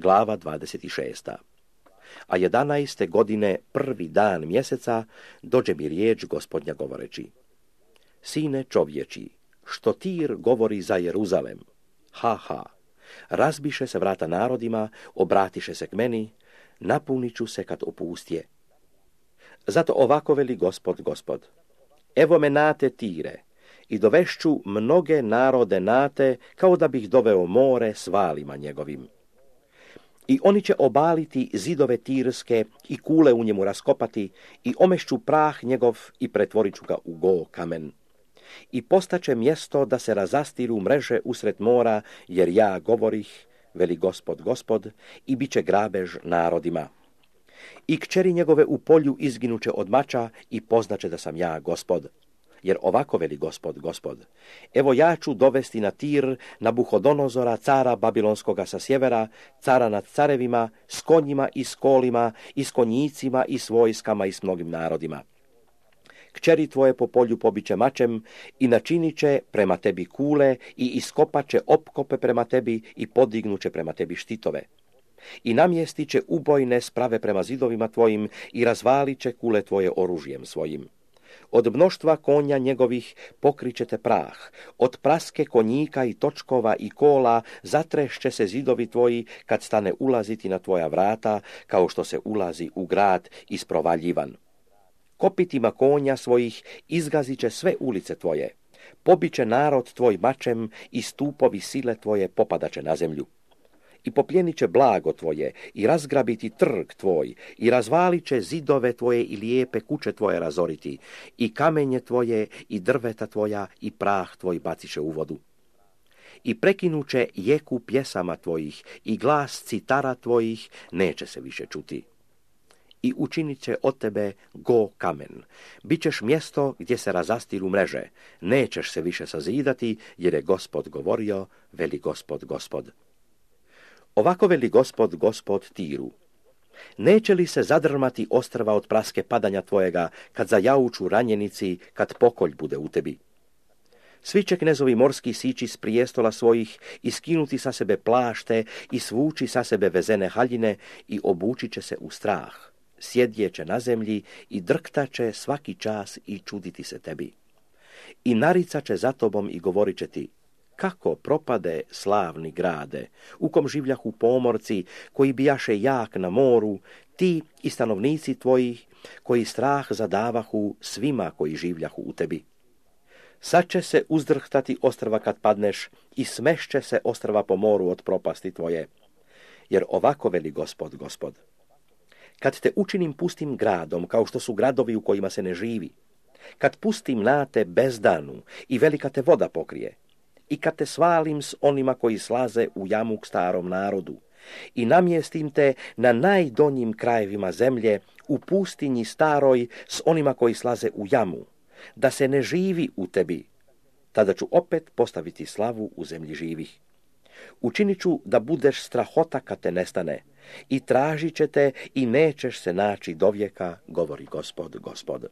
glava 26. A 11. godine, prvi dan mjeseca, dođe mi riječ Gospodnja govoreći: Sine čovječi, što Tir govori za Jeruzalem? Ha, ha, razbiše se vrata narodima, obratiše se k meni, napunit ću se kad opustje. Zato ovako veli Gospod: Evo me nate Tire, i dovešću mnoge narode nate, kao da bih doveo more s valima njegovim. I oni će obaliti zidove Tirske i kule u njemu raskopati, i omešću prah njegov i pretvorit ću ga u go kamen. I postaće mjesto da se razastiru mreže usred mora, jer ja govorih, veli Gospod, i bit će grabež narodima. I kćeri njegove u polju izginuće od mača i poznaće da sam ja Gospod. Jer ovako veli Gospod, evo ja ću dovesti na Tir Nabuhodonozora, cara Babilonskoga sa sjevera, cara nad carevima, s konjima i s kolima, i s konjicima i s vojskama i s mnogim narodima. Kćeri tvoje po polju pobiće mačem i načinit će prema tebi kule i iskopat će opkope prema tebi i podignuće prema tebi štitove. I namjestit će ubojne sprave prema zidovima tvojim i razvalit će kule tvoje oružjem svojim. Od mnoštva konja njegovih pokrićete prah, od praske konjika i točkova i kola zatrešće se zidovi tvoji kad stane ulaziti na tvoja vrata, kao što se ulazi u grad isprovaljivan. Kopitima konja svojih izgazit će sve ulice tvoje, pobiće narod tvoj mačem i stupovi sile tvoje popadaće na zemlju. I popljenit će blago tvoje i razgrabiti trg tvoj i razvalit će zidove tvoje i lijepe kuće tvoje razoriti i kamenje tvoje i drveta tvoja i prah tvoj baciše u vodu. I prekinuće jeku pjesama tvojih i glas citara tvojih neće se više čuti. I učinit će od tebe go kamen. Bićeš mjesto gdje se razastiru mreže. Nećeš se više sazidati, jer je Gospod govorio, veli Gospod. Ovako veli Gospod Tiru: Neće li se zadrmati ostrva od praske padanja tvojega, kad zajauču ranjenici, kad pokolj bude u tebi? Svi će knezovi morski sići s prijestola svojih i skinuti sa sebe plašte i svući sa sebe vezene haljine i obući će se u strah. Sjedjeće na zemlji i drktaće svaki čas i čuditi se tebi. I naricat će za tobom i govorit će ti: Kako propade slavni grade, u kom življahu pomorci, koji bijaše jak na moru, ti i stanovnici tvoji, koji strah zadavahu svima koji življahu u tebi. Sad će se uzdrhtati ostrva kad padneš i smešće se ostrva po moru od propasti tvoje. Jer ovako veli Gospod: Kad te učinim pustim gradom, kao što su gradovi u kojima se ne živi, kad pustim na te bezdanu i velika te voda pokrije, i kad te svalim s onima koji slaze u jamu k starom narodu, i namjestim te na najdonjim krajevima zemlje, u pustinji staroj s onima koji slaze u jamu, da se ne živi u tebi, tada ću opet postaviti slavu u zemlji živih. Učinit ću da budeš strahota kad te nestane, i tražit će te i nećeš se naći dovijeka, govori Gospod.